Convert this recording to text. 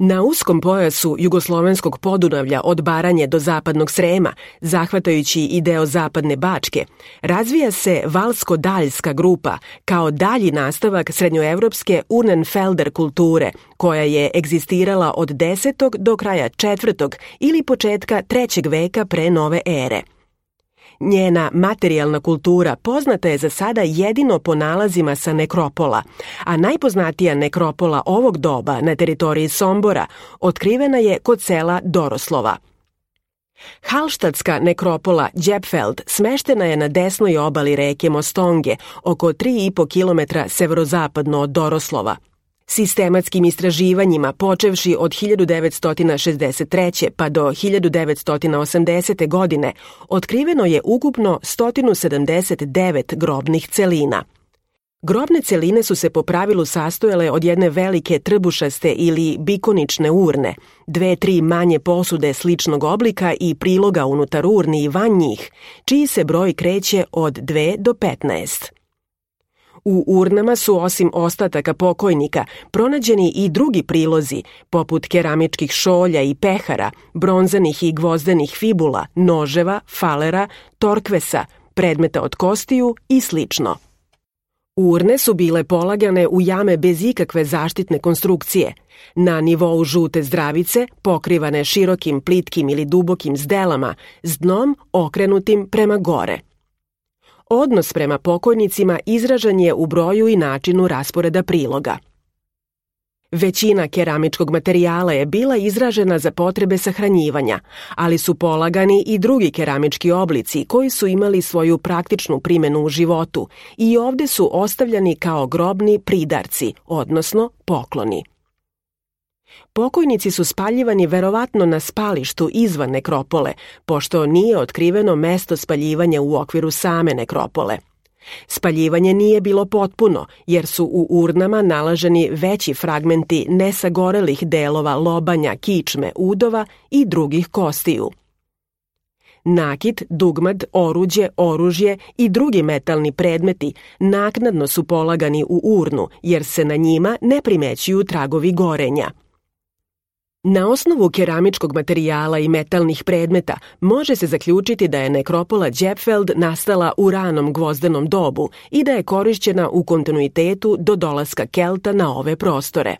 Na uskom pojasu jugoslovenskog Podunavlja od Baranje do zapadnog Srema, zahvatajući i deo zapadne Bačke, razvija se valsko-daljska grupa kao dalji nastavak srednjoevropske Urnenfelder kulture, koja je egzistirala od 10. do kraja 4. ili početka 3. veka pre nove ere. Njena materijalna kultura poznata je za sada jedino po nalazima sa nekropola, a najpoznatija nekropola ovog doba na teritoriji Sombora otkrivena je kod sela Doroslova. Halštadska nekropola Djepfeld smeštena je na desnoj obali reke Mostonge, oko 3,5 km severozapadno od Doroslova. Sistematskim istraživanjima, počevši od 1963. pa do 1980. godine, otkriveno je ukupno 179 grobnih celina. Grobne celine su se po pravilu sastojale od jedne velike trbušaste ili bikonične urne, 2-3 manje posude sličnog oblika i priloga unutar urni i van njih, čiji se broj kreće od 2 do 15. U urnama su osim ostataka pokojnika pronađeni i drugi prilozi, poput keramičkih šolja i pehara, bronzanih i gvozdenih fibula, noževa, falera, torkvesa, predmeta od kostiju i slično. Urne su bile polagane u jame bez ikakve zaštitne konstrukcije, na nivou žute zdravice, pokrivane širokim, plitkim ili dubokim zdelama, s dnom okrenutim prema gore. Odnos prema pokojnicima izražen je u broju i načinu rasporeda priloga. Većina keramičkog materijala je bila izražena za potrebe sahranjivanja, ali su polagani i drugi keramički oblici koji su imali svoju praktičnu primjenu u životu i ovde su ostavljani kao grobni pridarci, odnosno pokloni. Pokojnici su spaljivani verovatno na spalištu izvan nekropole, pošto nije otkriveno mesto spaljivanja u okviru same nekropole. Spaljivanje nije bilo potpuno, jer su u urnama nalaženi veći fragmenti nesagorelih delova lobanja, kičme, udova i drugih kostiju. Nakit, dugmad, oruđe, oružje i drugi metalni predmeti naknadno su polagani u urnu, jer se na njima ne primećuju tragovi gorenja. Na osnovu keramičkog materijala i metalnih predmeta može se zaključiti da je nekropola Djepfeld nastala u ranom gvozdenom dobu i da je korišćena u kontinuitetu do dolaska Kelta na ove prostore.